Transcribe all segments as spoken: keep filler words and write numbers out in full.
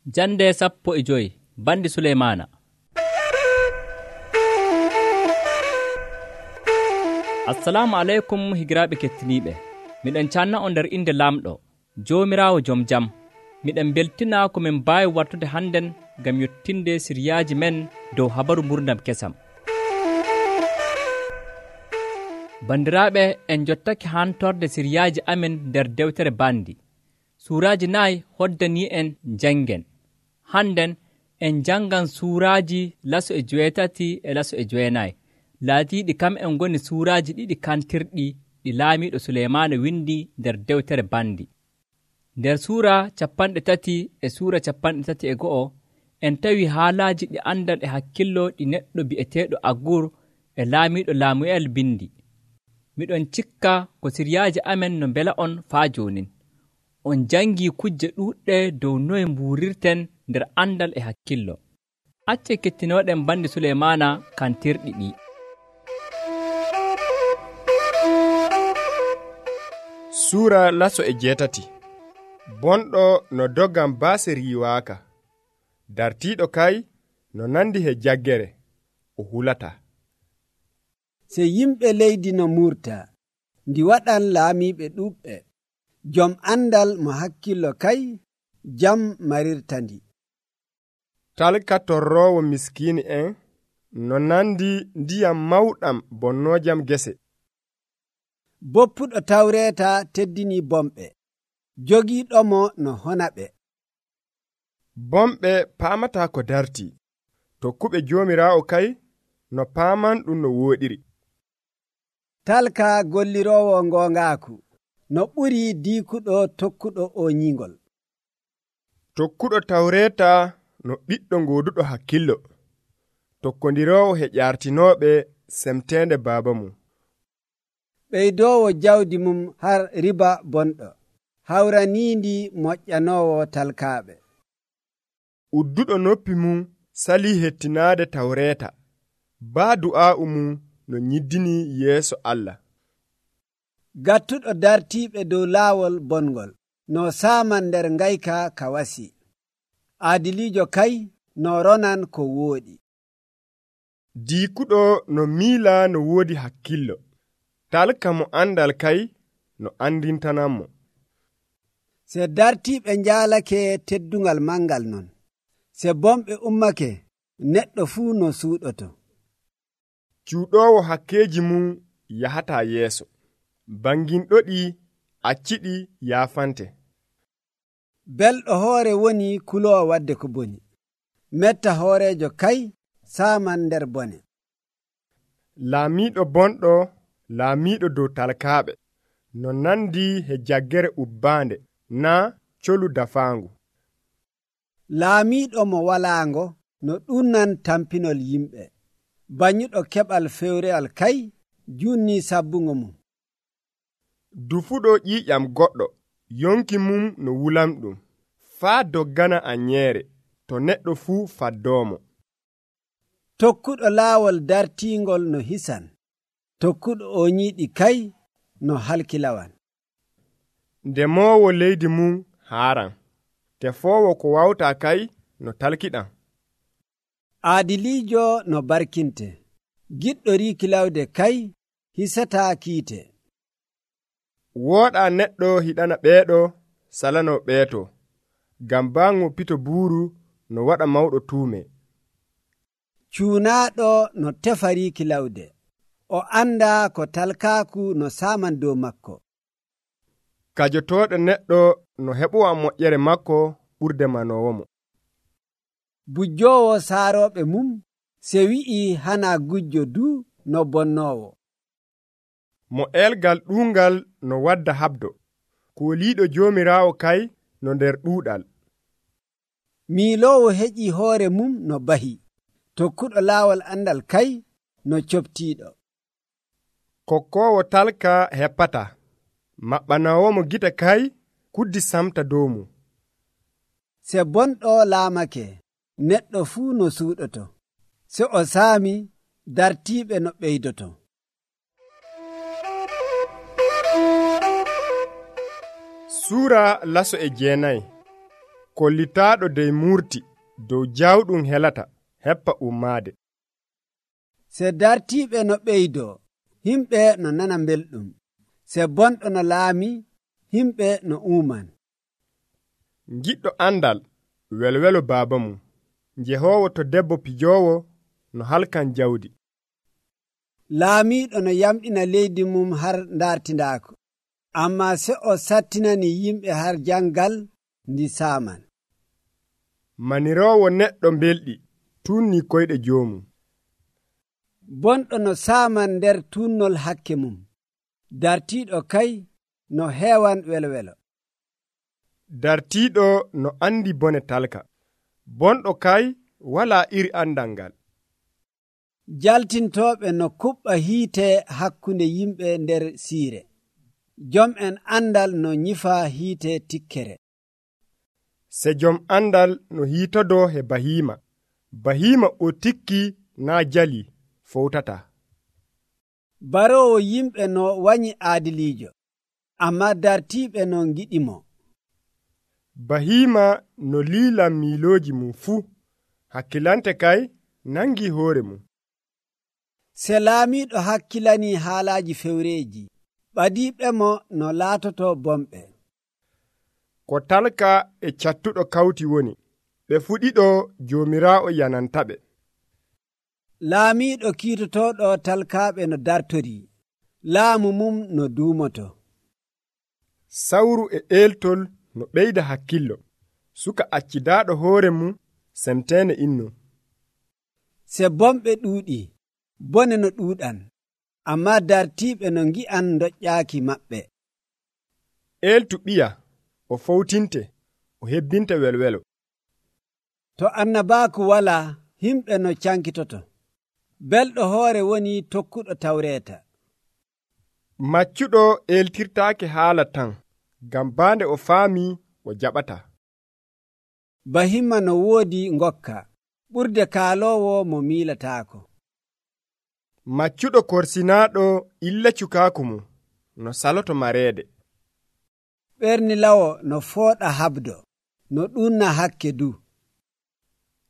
Jande sappo e joyi bandi Suleymaana. Assalamu aleykum higiraaɓe kettiniiɓe. Miɗen canna on nder inde Laamɗo, Joomiraawo Jom Jam. Miɗen beltina ko min mbaawi wattude hannden ngam yottinde siriyaaji men dow habaru gurdam kesam. Bandiraaɓe, en jottake hantorde siriyaaji amen nder dewtere bandi. Suuraaji nayi hoddanii en jangen. Hannden en jangan suuraaji laso e joweetati e laso e joweenayi. Laatiiɗi kam en ngoni suuraaji ɗiɗi kantirɗi ɗi laamiiɗo Suleymaana windi nder dewtere bandi. Nder suura capanɗe tati e suura capanɗe tati e go'o en tawi haalaaji ɗi andal e hakkillo ɗi neɗɗo bi'eteeɗo Agur e laamiiɗo Laamu'el bindi. Miɗon cikka ko siriyaaji amen no mbela on faa joonin. On jangii kujje ɗuuɗɗe dow noye mbuurirten nder andal e hakkillo. Acce kettinooɗen bandi Suleymaana kantirɗi ɗi. Suura laso e jeetati. Bonɗo no doggan baase riiwaaka. Dartiiɗo kay no nandi he jaggere o hulata. Se yimɓe leydi no murta, ndi waɗan laamiiɓe ɗuuɓɓe. Jom andal mo hakkillo kay jam marirtandi. Talka torroowo miskiini en no nandi ndiyam mawɗam bonnoojam gese. Boppuɗo tawreeta teddini bomɓe, jogiiɗomo no hona ɓe. Bomɓe paamataa ko dartii, tokkuɓe Joomiraawo kay no paaman ɗum no wooɗiri. Talka golliroowo ngoongaaku no ɓuri diikuɗo tokkuɗo o nyiingol. Tokkuɗo tawreeta no ɓiɗɗo ngooduɗo hakkillo, tokkondiroowo he ƴaartinooɓe semteende baaba mum. Ɓeydoowo jawdi mum har riba bonɗo, hawraniindi moƴƴanoowo talkaaɓe. Udduɗo noppi mum salii hettinaade tawreeta, baa du'aa'u mum no nyiddini yeeso Allah. Gattuɗo dartiiɓe dow laawol bongol, no saaman nder ngayka ka wasi. Aadiliijo kay no ronan ko wooɗi. Diikuɗo no miila no woodi hakkillo. Talka mo andal kay no andintanammo. Se dartiiɓe njaalake teddungal mangal non, se bomɓe ummake neɗɗo fuu no suuɗoto. Cuuɗoowo hakkeeji mum yahataa yeeso, banginɗoɗi acciɗi yaafante. Belɗo hoore woni kuloowo wadde ko boni, metta hooreejo kay saaman nder bone. Laamiiɗo bonɗo laamiiɗo dow talkaaɓe no nandi he jaggere ubbaande naa colu dafaangu. Laamiiɗo mo walaango no ɗunnan tampinol yimɓe, banyuɗo keɓal fewreal kay junni sabbungo mum. Dufuɗo ƴiiƴam goɗɗo yonki mum no wulamɗum, faa doggana anyeere to neɗɗo fuu faddoomo. Tokkuɗo laawol dartiingol no hisan, tokkuɗo o nyiiɗi kay no halkilawan. Ndemoowo leydi mum haaran, tefoowo ko wawtaa kay no talkiɗam. Aadiliijo no barkinte, giɗɗo riikilawde kay hisataa kiite. Wooɗaa neɗɗo hiɗana ɓeeɗo salano ɓeeto, ngam baŋŋo pito buuru no waɗa mawɗo tuume. Cuunaaɗo no tefa riikilawde, o andaa ko talkaaku no saaman dow makko. Kajotooɗo neɗɗo no heɓuwa moƴƴere makko ɓurde manoowomo. Bujjoowo saarooɓe mum se wi'i hana gujjo du no bonnoowo. Mo elgal ɗuungal no wadda habdo, kooliiɗo Joomiraawo kay no nder ɗuuɗal. Miiloowo heƴii hoore mum no bahi, tokkuɗo laawol andal kay no coptiiɗo. Kokkoowo talka heppata, maɓɓanoowomo gite kay kuddi samta dow mum. Se bonɗo laamake, neɗɗo fuu no suuɗoto, se o saami dartiiɓe no ɓeydoto. Suura laso e jeenayi. kollitaaɗo dey murti dow jawɗum helata heppa ummaade. Se dartiiɓe no ɓeydoo, himɓe no nana belɗum. Se bonɗo no laami, himɓe no uuman. Giɗɗo andal welwelo baaba mum, njehoowo to debbo pijoowo no halkan jawdi. Laamiiɗo no yamɗina leydi mum har ndartindaako, ammaa se o sattinani yimɓe har jangal ndi saaman. Maniroowo neɗɗo belɗi tunni koyɗe joomum. Bonɗo no saaman nder tunnol hakke mum, dartiiɗo kay no heewan welwelo. Dartiiɗo no andi bone talka, bonɗo kay walaa iri andal ngal. Jaltintooɓe no kuɓɓa hiite hakkunde yimɓe nder siire, jom en andal no nyifa hiite tikkere. Se jom andal no hiitodoo he bahiima, bahiima o tikki naa jali fowtata. Baroowo yimɓe no wanyi aadiliijo, ammaa dartiiɓe no ngiɗimo. Bahiima no liila miilooji mum fuu, hakkilante kay nangi hoore mum. Se laamiiɗo hakkilanii haalaaji fewreeji, ɓadiiɓe mo no laatoto bomɓe. Ko talka e cattuɗo kawti woni, ɓe fuɗiɗo Joomiraawo yanantaɓe. Laamiiɗo kiitotooɗo talkaaɓe no dartorii, laamu mum no duumoto. Sawru e eeltol no ɓeyda hakkillo, suka accidaaɗo hoore mum semteene innu. Se bomɓe ɗuuɗi, bone no ɗuuɗan, ammaa dartiiɓe no ngi'an doƴƴaaki maɓɓe. Eeltu ɓiya o fowtinte, o hebbinta welwelo. To annabaaku walaa, himɓe no cankitoto. Belɗo hoore woni tokkuɗo tawreeta. Maccuɗo eeltirtaake haala tan, ngam baande o faami o jaɓata. Bahimma no woodi ngokka, ɓurde kaaloowo mo miilataako. Maccuɗo korsinaaɗo illa cukaaku mum, no saloto mareede. Ɓernilawo no fooɗa habdo, no ɗunna hakke du.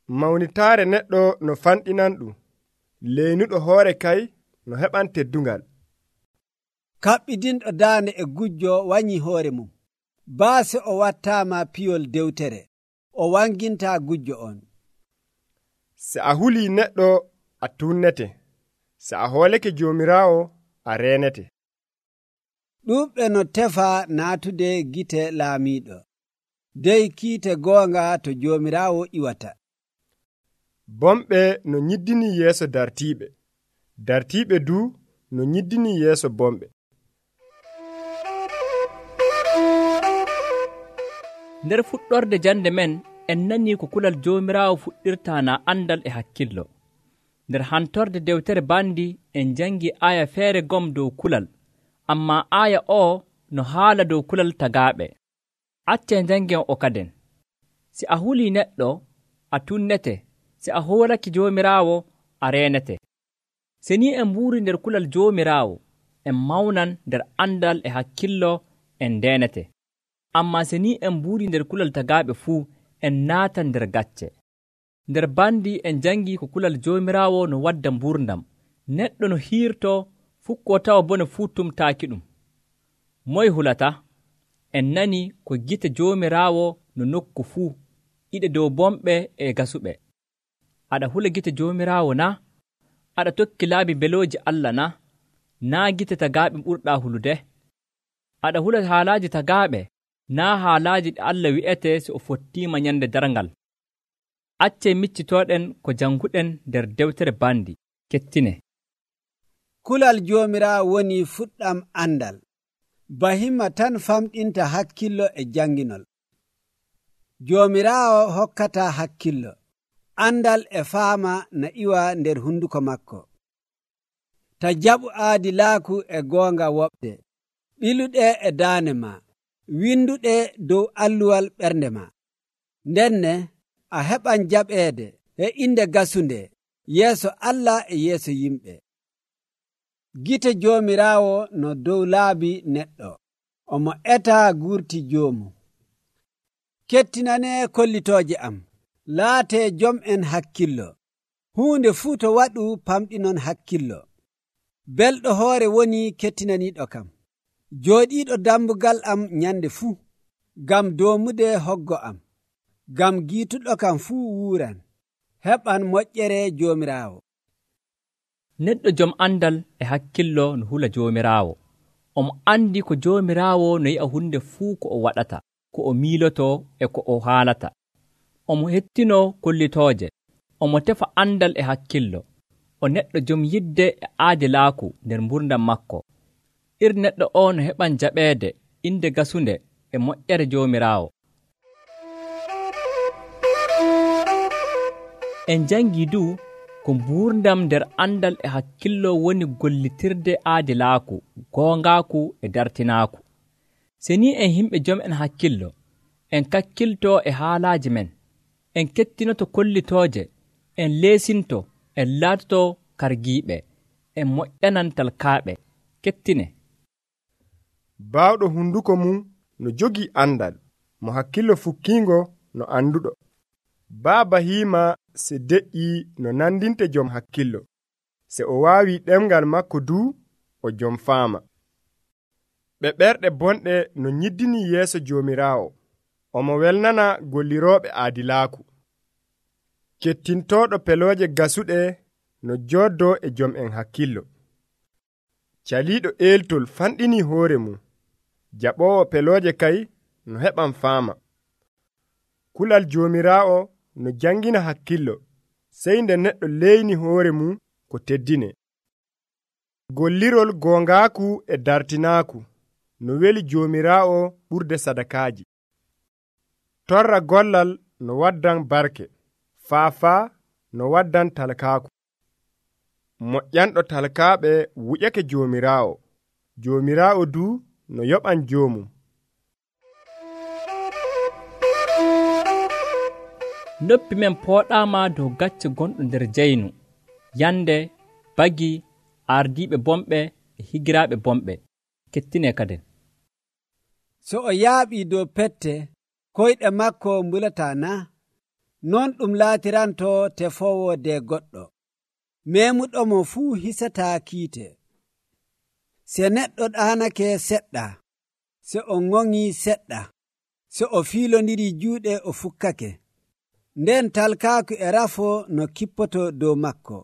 Mawnitaare neɗɗo no fanɗinan ɗum, leynuɗo hoore kay no heɓan teddungal. Kaɓɓidinɗo daande e gujjo wanyi hoore mum, baase o wattaama piyol dewtere, o wangintaa gujjo on. Se a hulii neɗɗo a tunnete, se a hooleke Joomiraawo a reenete. Ɗuuɓɓe no tefa naatude gite laamiiɗo, dey kiite goonga to Joomiraawo iwata. Bomɓe no nyiddini yeeso dartiiɓe, dartiiɓe du no nyiddini yeeso bomɓe. Nder fuɗɗorde jande men en nani ko kulal Joomiraawo fuɗɗirta na andal e hakkillo. Nder hantorde dewtere bandi en jangi aya feere gom dow kulal, amma aya o no haala dow kulal tagaaɓe. Acce jangen o kaden. Si a huli neɗɗo a tunnete, si a hoolaki Joomiraawo a reenete. Se ni en mbuuri nder kulal Joomiraawo en mawnan nder andal e hakkillo en ndenete. Amma se ni en mbuuri nder kulal tagaaɓe fuu en naatan nder gacce. Nder bandi en jangi ko kulal Joomiraawo no wadda mburdam, neɗɗo no hiirto fukko tawa bone fuu tumtaaki ɗum. Moy hulata? En nani ko gite Joomiraawo no nokku fuu, iɗe dow bomɓe e gasuɓe. Aɗa hula gite Joomiraawo na? Aɗa tokki laabi belooji Allah na? Naa gite tagaaɓe ɓurɗaa hulude? Aɗa hula haalaaji tagaaɓe, naa haalaaji ɗe Allah wi'ete so o fottiima nyande darngal. Accee miccitooɗen ko janguɗen nder dewtere bandi. Kettine. Kulal Joomiraawo woni fuɗɗam andal. Bahimma tan famɗinta hakkillo e janginol. Joomiraawo hokkata hakkillo, andal e faama na iwa nder hunduko makko. Ta jaɓu aadilaaku e goonga woɓde, ɓiluɗe e daane ma, winduɗe dow alluwal ɓernde ma. Ndenne a heɓan jaɓeede e inde gasunde yeeso Allah e yeeso yimɓe. Gite Joomiraawo no dow laabi neɗɗo, omo etaa guurti joomu. kettinanee kollitooje am, laatee jom'en hakkillo. Huunde fuu to waɗu famɗinon hakkillo. Belɗo hoore woni kettinaniiɗo kam. Jooɗiiɗo dambugal am nyande fuu, ngam doomude hoggo am, ngam giituɗo kam fuu wuuran. Heɓan moƴƴere Joomiraawo. Neɗɗo jom andal e hakkillo no hula Joomiraawo. Omo andi ko Joomiraawo no yi'a hunde fuu ko o waɗata, ko o miiloto e ko o haalata. Omo hettino kollitooje. Omo tefa andal e hakkillo. O neɗɗo jom yidde e aadilaaku nder mburdam makko. Ir neɗɗo o no heɓan jaɓeede inde gasunde e moƴƴere Joomiraawo. En jangi du ko mburdam nder andal e hakkillo woni gollitirde aadilaaku, goongaaku e dartinaaku. Se ni en himɓe jom en hakkillo, en kakkilto e haalaaji men, en kettinoto kollitooje, en leesinto, en laatoto kargiiɓe, en moƴƴanan talkaaɓe. Kettine. Baawɗo hunduko mum no jogii andal, mo hakkillo fukkiingo no anduɗo. Baaba hiima se de'ii no nandinte jom hakkillo, se o waawi ɗemgal makko duu o jom faama. Ɓe ɓerɗe bonɗe no nyiddini yeeso Joomiraawo, omo welnana gollirooɓe aadilaaku. Kettintooɗo pelooje gasuɗe no jooddoo e jom en hakkillo. Caliiɗo eeltol fanɗinii hoore mum, jaɓoowo pelooje kay no heɓan faama. Kulal Joomiraawo no jangina hakkillo, sey nde neɗɗo leyni hoore mum ko teddine. Gollirol goongaaku e dartinaaku no weli Joomiraawo ɓurde sadakaaji. Torra gollal no waddan barke, faafaa no waddan talkaaku. Moƴƴanɗo talkaaɓe wuƴake Joomiraawo, Joomiraawo duu no yoɓan joomum. Noppi men pooɗaama dow gacce gonɗo nder jeynu, yande, bagi, ardiiɓe bomɓe e higiraaɓe bomɓe. Kettine kaden. So o yaaɓii dow pette, koyɗe makko mbulataa na? Non ɗum laatiranto tefoowo de goɗɗo. Meemuɗomo fuu hisataa kiite. Se neɗɗo ɗaanake seɗɗa, se o ŋoŋii seɗɗa, se o fiilondiri juuɗe o fukkake. Nden talkaaku e rafo no kippoto dow makko,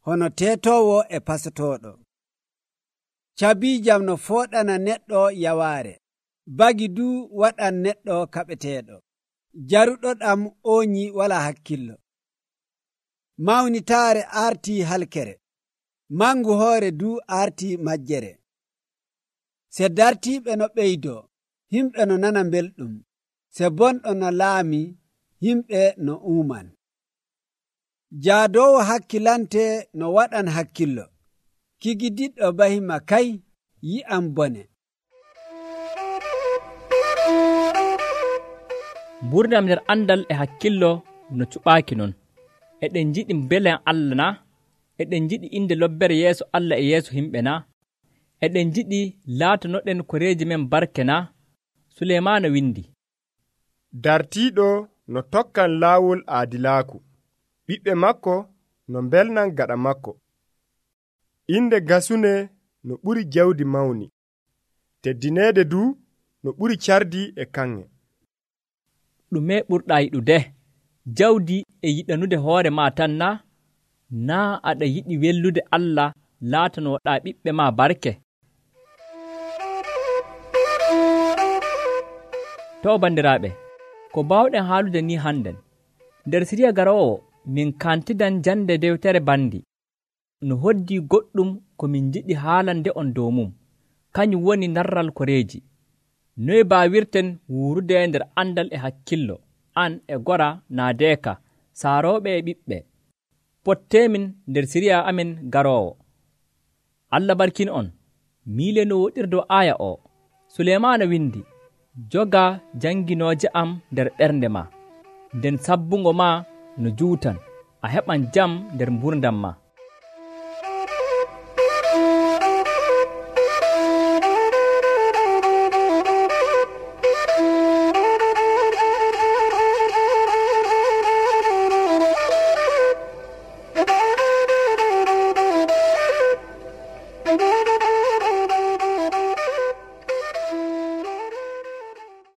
hono teetoowo e pasotooɗo. Cabiijam no fooɗana neɗɗo yawaare, bagi du waɗan neɗɗo kaɓeteeɗo. Jaruɗo ɗam ooñi wala hakkillo. Mawnitaare aartii halkere, mangu hoore du aartii majjere. Se dartiiɓe no ɓeydoo, himɓe no nana belɗum. Se bonɗo no laami, yimɓe no uuman. Jaadoowo hakkilante no waɗan hakkillo. Kigidiɗɗo bahima kay yi'an bone. Mburdam nder andal e hakkillo no cuɓaaki non. Eɗen jiɗi belen Allah na? Eɗen jiɗi inde lobbere yeeso Allah e yeeso himɓe na? Eɗen jiɗi laatanoɗen koreeji men barke na? Suleymaana windi. Dartiiɗo no tokkan laawol aadilaaku, ɓiɓɓe makko no mbelnan gaɗa makko. Inde gasune no ɓuri jawdi mawni, teddineede du no ɓuri cardi e kanŋe. Ɗume ɓurɗaa yiɗude? Jawdi e yiɗanude hoore ma tan na? Naa aɗa yiɗi wellude Allah laatanoɗaa ɓiɓɓe ma barke? To bandiraaɓe, ko baawɗen haalude ni hannden, nder siriya garoowo min kantidan jande dewtere bandi. No hoddi goɗɗum ko min jiɗi haalande on dow mum, kañum woni narral koreeji. Noy baawirten wuurude nder andal e hakkillo, an e gora naadeeka, saarooɓe e ɓiɓɓe. Pottemin nder siriya amin garoowo. Allah barkin on, miile no woɗirdo aya o. Suleymaana windi, joga janginooje am nder ɓernde ma, nden sabbungo ma no juutan, a heɓan jam nder mburdam ma.